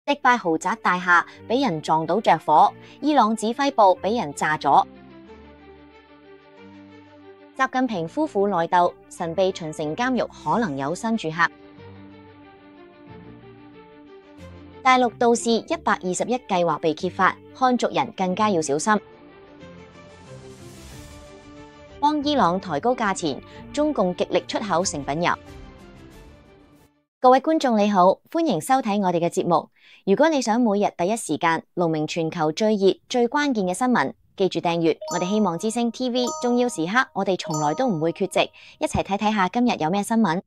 迪拜豪宅大廈俾人撞到着火，伊朗指揮部俾人炸咗。習近平夫婦內鬥，神秘秦城監獄可能有新住客。大陸道士121計劃被揭發，漢族人更加要小心。幫伊朗抬高價錢，中共極力出口成品油。各位觀眾你好，歡迎收睇我哋嘅節目。如果你想每日第一時間龍明全球最熱最關鍵嘅新聞，記住訂閱我哋希望之聲 TV。重要時刻我哋從來都唔會缺席，一齊睇睇下今日有咩新聞。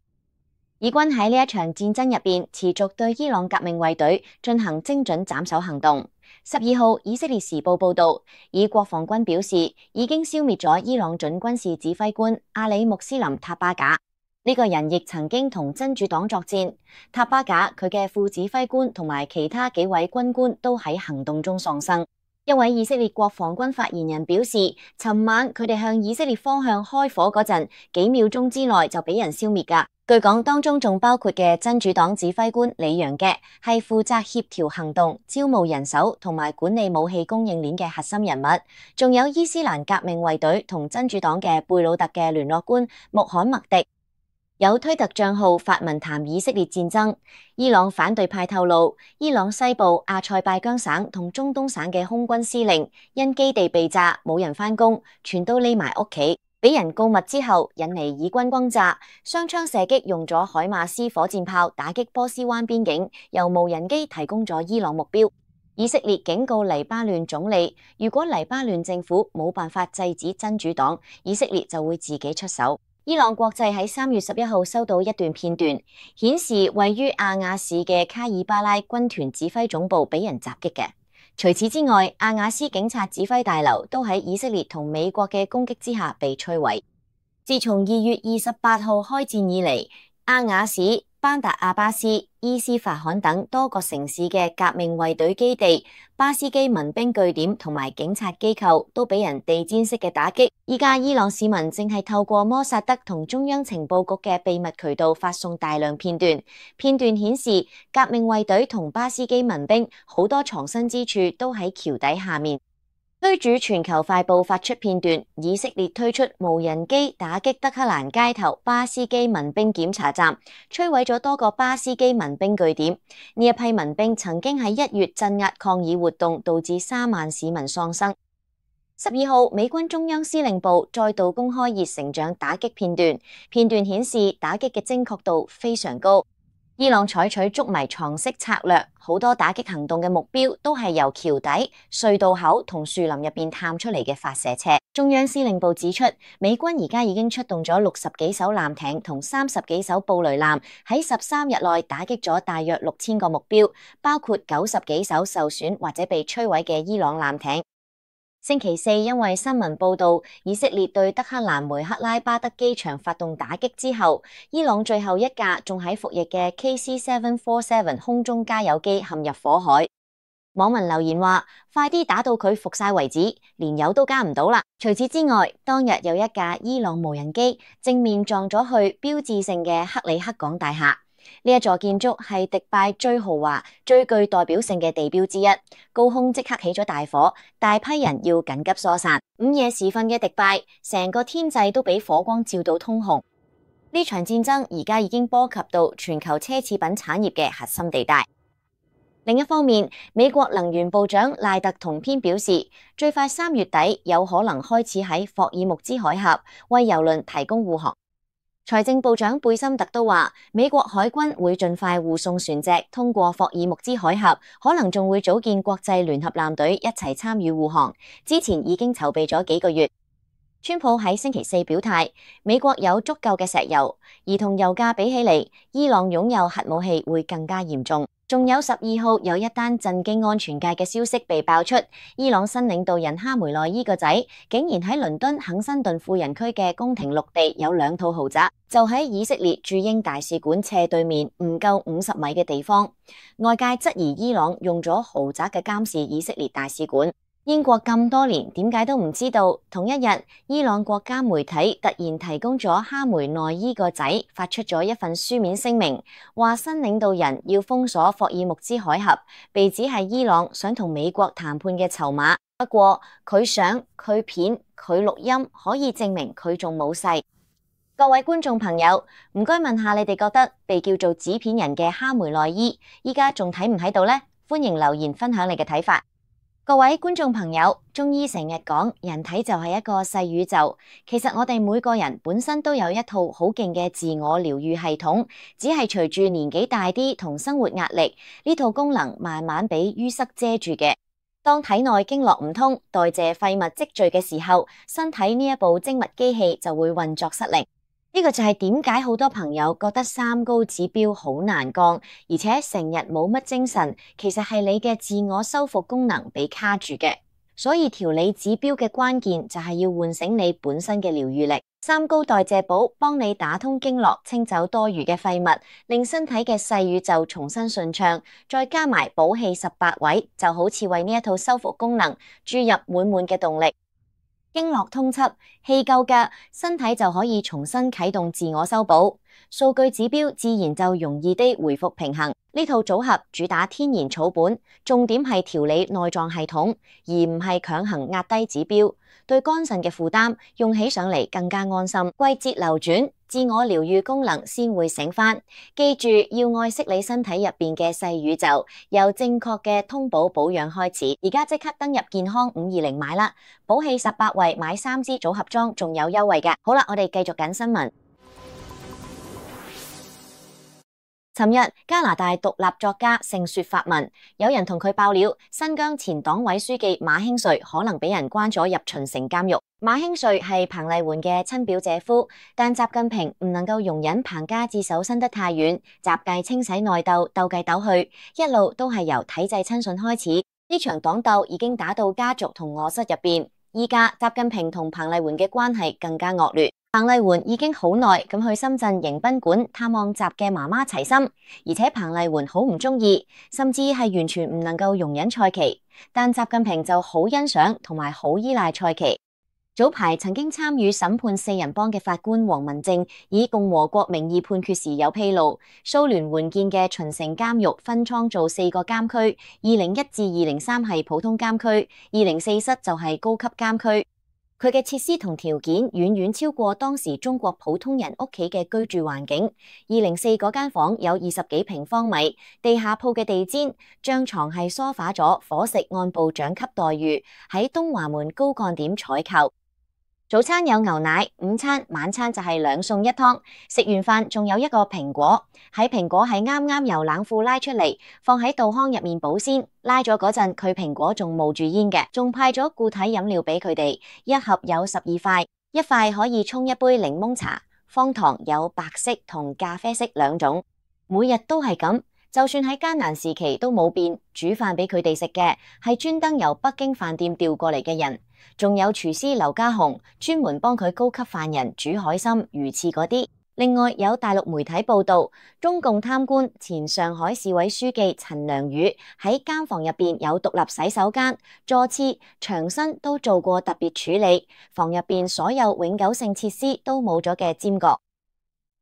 以軍喺呢一場戰爭入邊持續對伊朗革命衛隊進行精準斬首行動。12號，以色列時報報道，以國防軍表示已經消滅咗伊朗準軍事指揮官阿里穆斯林塔巴賈。呢個人亦曾經同真主黨作戰。塔巴賈佢嘅副指揮官同埋其他幾位軍官都喺行動中喪生。一位以色列國防軍發言人表示，尋晚佢哋向以色列方向開火嗰陣，幾秒鐘之內就俾人消滅㗎。據講當中仲包括嘅真主黨指揮官李揚嘅係負責協調行動、招募人手同埋管理武器供應鏈嘅核心人物，仲有伊斯蘭革命衛隊同真主黨嘅貝魯特嘅聯絡官穆罕默迪。有推特賬號發文談以色列戰爭。伊朗反對派透露，伊朗西部阿塞拜疆省同中東省嘅空軍司令因基地被炸，冇人返工，全都匿埋屋企，俾人告密之後，引嚟以軍轟炸，雙槍射擊用咗海馬斯火箭炮打擊波斯灣邊境，由無人機提供咗伊朗目標。以色列警告黎巴嫩總理，如果黎巴嫩政府冇辦法制止真主黨，以色列就會自己出手。伊朗國際喺3月11號收到一段片段，顯示位於阿瓦市嘅卡爾巴拉軍團指揮總部俾人襲擊嘅。除此之外，阿瓦斯警察指揮大樓都喺以色列同美國嘅攻擊之下被摧毀。自從2月28號開戰以嚟，阿瓦市、班達阿巴斯、伊斯法罕等多個城市嘅革命衛隊基地、巴斯基民兵據點同埋警察機構都俾人地毯式嘅打擊。依家伊朗市民正係透過摩薩德同中央情報局嘅秘密渠道發送大量片段，片段顯示革命衛隊同巴斯基民兵好多藏身之處都喺橋底下面。推主全球快報發出片段，以色列推出無人機打擊德黑蘭街頭巴斯基民兵檢查站，摧毀咗多個巴斯基民兵據點。呢一批民兵曾經喺1月鎮壓抗議活動，導致3萬市民喪生。12號，美軍中央司令部再度公開熱成像打擊片段，片段顯示打擊嘅精確度非常高。伊朗採取捉迷藏式策略，好多打擊行動嘅目標都係由橋底、隧道口同樹林入邊探出嚟嘅發射車。中央司令部指出，美軍而家已經出動咗60幾艘艦艇同30幾艘布雷艦，喺13日內打擊咗大約6000個目標，包括90幾艘受損或者被摧毀嘅伊朗艦艇。星期四，因為新聞報道以色列對德黑蘭梅克拉巴德機場發動打擊之後，伊朗最後一架仲喺服役嘅 KC-747 空中加油機陷入火海。網民留言話：快啲打到佢服晒為止，連油都加唔到啦。除此之外，當日有一架伊朗無人機正面撞咗去標誌性嘅克里克港大廈。呢一座建築係迪拜最豪華、最具代表性嘅地標之一，高空即刻起咗大火，大批人要緊急疏散。午夜時分嘅迪拜，成個天際都俾火光照到通紅。呢場戰爭而家已經波及到全球奢侈品產業嘅核心地帶。另一方面，美國能源部長賴特同篇表示，最快3月底有可能開始喺霍爾木茲海峽為郵輪提供護航。財政部長貝森特都話，美國海軍會盡快護送船隻通過霍爾木茲海峽，可能仲會組建國際聯合艦隊一齊參與護航。之前已經籌備咗幾個月。川普喺星期四表態，美國有足夠嘅石油，而同油價比起嚟，伊朗擁有核武器會更加嚴重。仲有12號有一單震驚安全界嘅消息被爆出，伊朗新領導人哈梅內伊個仔竟然喺倫敦肯辛頓富人區嘅宮廷綠地有2套豪宅，就喺以色列駐英大使館斜對面唔夠50米嘅地方。外界質疑伊朗用咗豪宅嘅監視以色列大使館。英國咁多年，點解都唔知道？同一日，伊朗國家媒體突然提供咗哈梅內伊個仔發出咗一份書面聲明，話新領導人要封鎖霍爾木茲海峽，被指係伊朗想同美國談判嘅籌碼。不過佢相、佢片、佢錄音可以證明佢仲冇逝。各位觀眾朋友，唔該問下你哋覺得被叫做紙片人嘅哈梅內伊，依家仲喺唔喺度呢？歡迎留言分享你嘅睇法。各位觀眾朋友，中醫成日講人體就係一個細宇宙，其實我哋每個人本身都有一套好勁嘅自我療愈系統，只係隨住年紀大啲同生活壓力，呢套功能慢慢俾淤塞遮住嘅。當體內經絡唔通，代謝廢物積聚嘅時候，身體呢一部精密機器就會運作失靈。呢個就係點解好多朋友覺得三高指標好難降，而且成日冇乜精神，其實係你嘅自我修復功能被卡住嘅。所以調理指標嘅關鍵就係要喚醒你本身嘅療愈力。三高代謝寶幫你打通經絡，清走多餘嘅廢物，令身體嘅細宇宙重新順暢，再加埋補氣18位，就好似為呢一套修復功能注入滿滿嘅動力。經絡通緝，氣夠嘅，身體就可以重新啟動自我修補，數據指標自然就容易啲回復平衡。呢套組合主打天然草本，重點係調理內臟系統，而唔係強行壓低指標，對肝腎嘅負擔用起上嚟更加安心。季節流轉，自我療愈功能先會醒返。記住要愛惜你身體入邊嘅細宇宙，由正確嘅通補保養開始。而家即刻登入健康520買啦，補氣18位買3支組合裝仲有優惠嘅。好啦，我哋繼續緊新聞。尋日加拿大獨立作家盛雪發文，有人同佢爆料，新疆前黨委書記馬興瑞可能俾人關咗入秦城監獄。馬興瑞係彭麗媛嘅親表姐夫，但習近平唔能夠容忍彭家自首伸得太遠，習繼清洗內鬥，鬥計鬥去，一路都係由體制親信開始。呢場黨鬥已經打到家族同臥室入邊，依家習近平同彭麗媛嘅關係更加惡劣。彭麗媛已經好耐咁去深圳迎賓館探望習嘅媽媽齊心，而且彭麗媛好唔中意，甚至係完全唔能夠容忍蔡奇，但習近平就好欣賞同埋好依賴蔡奇。早排曾經參與審判四人幫嘅法官黃文正以共和國名義判決時有披露，蘇聯援建嘅秦城監獄分倉做4個監區，201至203係普通監區，204室就係高級監區。佢嘅設施同條件遠遠超過當時中國普通人屋企嘅居住環境。204嗰間房有20幾平方米，地下鋪嘅地氈、張床係梳化咗，伙食按部長級待遇，喺東華門高幹點採購。早餐有牛奶，午餐、晚餐就係2餸1湯。食完飯仲有一個蘋果，喺蘋果係啱啱由冷庫拉出嚟，放喺稻糠入面保鮮。拉咗嗰陣，佢蘋果仲冒住煙嘅，仲派咗固體飲料俾佢哋，一盒有12塊，一塊可以沖一杯檸檬茶。方糖有白色同咖啡色2種，每日都係咁。就算喺艱難時期都冇變，煮飯俾佢哋食嘅係專登由北京飯店調過嚟嘅人，仲有廚師劉家雄專門幫佢高級犯人煮海參、魚翅嗰啲。另外有大陸媒體報道，中共貪官前上海市委書記陳良宇喺監房入邊有獨立洗手間、座廁、牆身都做過特別處理，房入邊所有永久性設施都冇咗嘅尖角，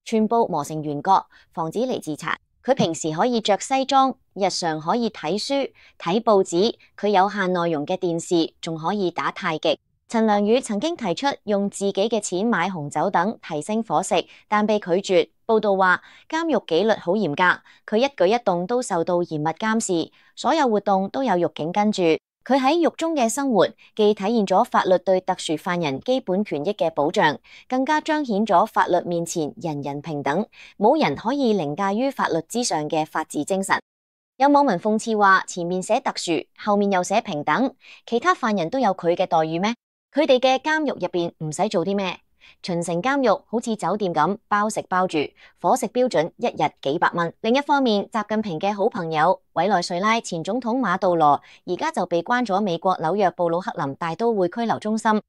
全部磨成圓角，防止嚟自殘。佢平時可以着西裝，日常可以睇書、睇報紙，佢有限內容嘅電視仲可以打太極。陳良宇曾經提出用自己嘅錢買紅酒等提升伙食，但被拒絕。報道話監獄紀律好嚴格，佢一舉一動都受到嚴密監視，所有活動都有獄警跟住。佢喺獄中嘅生活，既體現咗法律對特殊犯人基本權益嘅保障，更加彰顯咗法律面前人人平等，冇人可以凌駕於法律之上嘅法治精神。有網民諷刺話，前面寫特殊，後面又寫平等，其他犯人都有佢嘅待遇咩？佢哋嘅監獄入邊唔使做啲咩？秦城監獄好似酒店咁，包食包住，伙食標準一日幾百蚊。另一方面，習近平嘅好朋友委內瑞拉前總統馬杜羅而家就被關咗美國紐約布魯克林大都會拘留中心。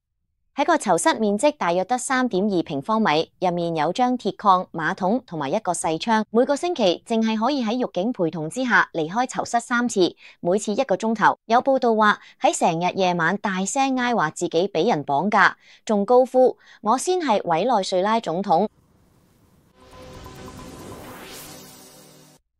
喺個囚室面積大約得3.2平方米，入面有張鐵礦、馬桶同埋一個細窗。每個星期淨係可以喺獄警陪同之下離開囚室3次，每次1個鐘頭。有報道話喺成日夜晚大聲嗌話自己俾人綁架，仲高呼我先係委內瑞拉總統。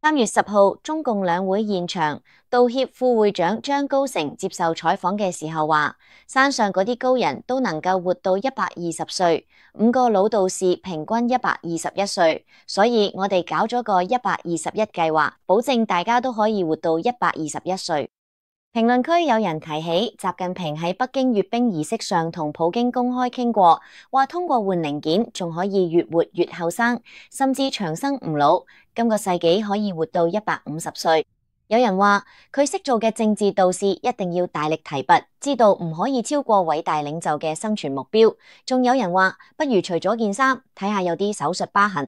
3月10號，中共兩會現場，道協副會長張高成接受採訪嘅時候話，山上嗰啲高人都能夠活到120歲，5個老道士平均121歲，所以我哋搞咗個121計劃，保證大家都可以活到121歲。評論區有人提起習近平喺北京閱兵儀式上同普京公開傾過，話通過換零件仲可以越活越後生，甚至長生唔老，今個世紀可以活到150歲。有人話佢識做嘅政治導師一定要大力提拔，知道唔可以超過偉大領袖嘅生存目標。仲有人話不如除咗件衫，睇下有啲手術疤痕。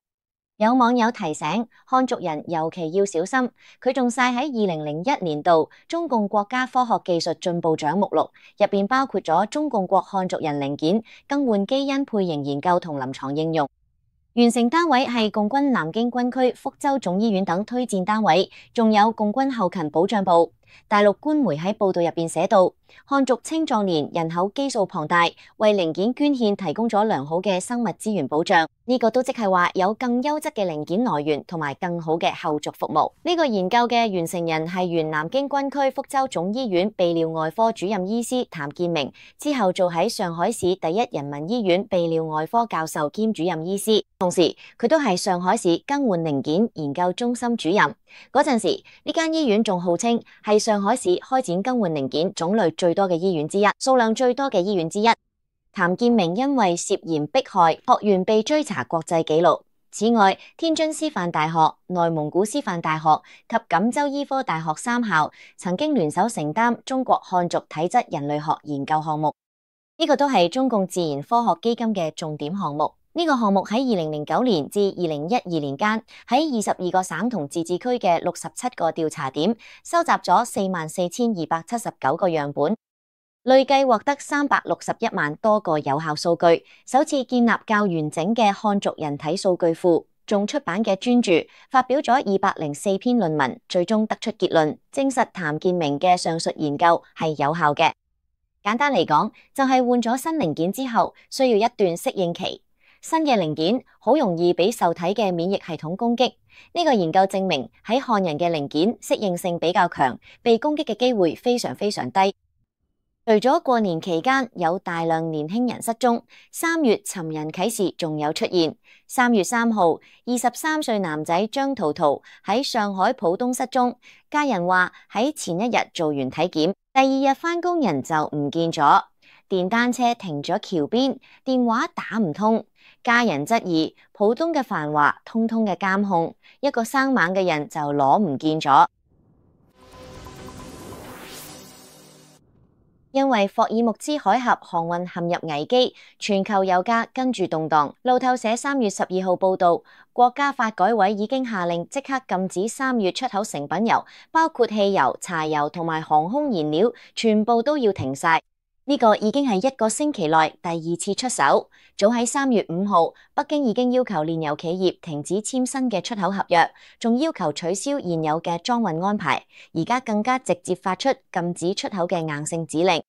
有網友提醒漢族人尤其要小心，佢仲晒喺2001年度中共國家科學技術進步獎目錄，入邊包括咗中共國漢族人零件更換基因配型研究同臨床應用。完成單位係共軍南京軍區福州總醫院等推薦單位，仲有共軍後勤保障部。大陸官媒喺報道入邊寫到，漢族青壯年人口基數龐大，為零件捐獻提供咗良好嘅生物資源保障。呢個都即係話有更優質嘅零件來源同埋更好嘅後續服務。呢個研究嘅完成人係原南京軍區福州總醫院泌尿外科主任醫師譚建明，之後做喺上海市第一人民醫院泌尿外科教授兼主任醫師，同時佢都係上海市更換零件研究中心主任。嗰陣時呢間醫院仲號稱係上海市開展更換零件種類最多嘅醫院之一，數量最多嘅醫院之一。譚建明因為涉嫌迫害學員被追查國際紀錄。此外，天津師範大學、內蒙古師範大學及錦州醫科大學3校曾經聯手承擔中國漢族體質人類學研究項目，呢個都係中共自然科學基金嘅重點項目。呢個項目喺2009年至2012年間，喺22個省同自治區嘅67個調查點，收集咗44,279個樣本，累計獲得361萬多個有效數據，首次建立較完整嘅漢族人體數據庫。仲出版嘅專著，發表咗204篇論文，最終得出結論，證實譚建明嘅上述研究係有效嘅。簡單嚟講，就係換咗新零件之後，需要一段適應期。新嘅零件好容易俾受體嘅免疫系統攻擊。呢個研究證明喺漢人嘅零件適應性比較強，被攻擊嘅機會非常非常低。除咗過年期間有大量年輕人失蹤，3月尋人啟事仲有出現。3月3號，23歲男仔張圖圖喺上海浦東失蹤，家人話喺前一日做完體檢，第二日返工人就唔見咗。電單車停咗橋邊，電話打唔通。家人質疑浦東嘅繁華，通通嘅監控，一個生猛嘅人就攞唔見咗。因為霍爾木茲海峽航運陷入危機，全球油價跟住動盪。路透社3月12號報道，國家發改委已經下令即刻禁止3月出口成品油，包括汽油、柴油同埋航空燃料，全部都要停晒。呢個已經係1個星期內第2次出手。早喺3月5號，北京已經要求煉油企業停止簽新嘅出口合約，仲要求取消現有嘅裝運安排。而家更加直接發出禁止出口嘅硬性指令。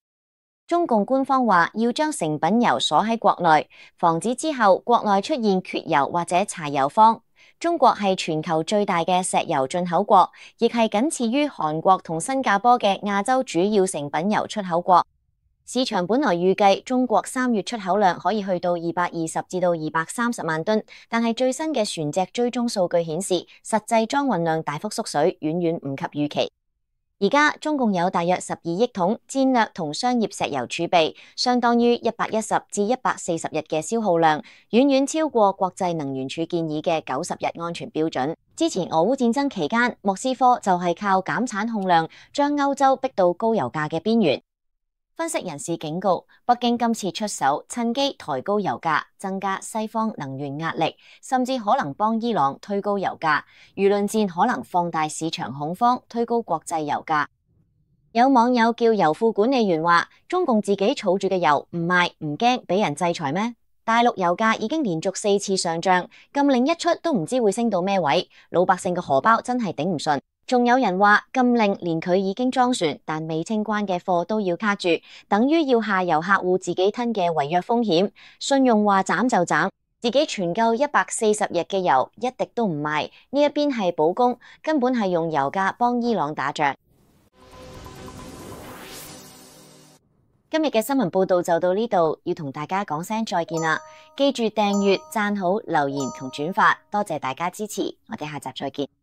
中共官方話要將成品油鎖喺國內，防止之後國內出現缺油或者柴油荒。中國係全球最大嘅石油進口國，亦係僅次於韓國同新加坡嘅亞洲主要成品油出口國。市場本來預計中國3月出口量可以去到220至到230萬噸，但係最新嘅船隻追蹤數據顯示，實際裝運量大幅縮水，遠遠唔及預期。而家中共有大約12億桶戰略同商業石油儲備，相當於110至140日嘅消耗量，遠遠超過國際能源署建議嘅90日安全標準。之前俄烏戰爭期間，莫斯科就係靠減產控量，將歐洲逼到高油價嘅邊緣。分析人士警告，北京今次出手，趁機抬高油價，增加西方能源壓力，甚至可能幫伊朗推高油價。輿論戰可能放大市場恐慌，推高國際油價。有網友叫油庫管理員話：中共自己儲住嘅油唔賣唔驚俾人制裁咩？大陸油價已經連續4次上漲，禁令一出都唔知會升到咩位，老百姓嘅荷包真係頂唔順。仲有人話禁令連佢已經裝船但未清關嘅貨都要卡住，等於要下游客戶自己吞嘅違約風險。信用話斬就斬，自己存夠140日嘅油一滴都唔賣，呢一邊係保供，根本係用油價幫伊朗打仗。今日嘅新聞報道就到呢度，要同大家講聲再見啦！記住訂閱、讚好、留言同轉發，多謝大家支持，我哋下集再見。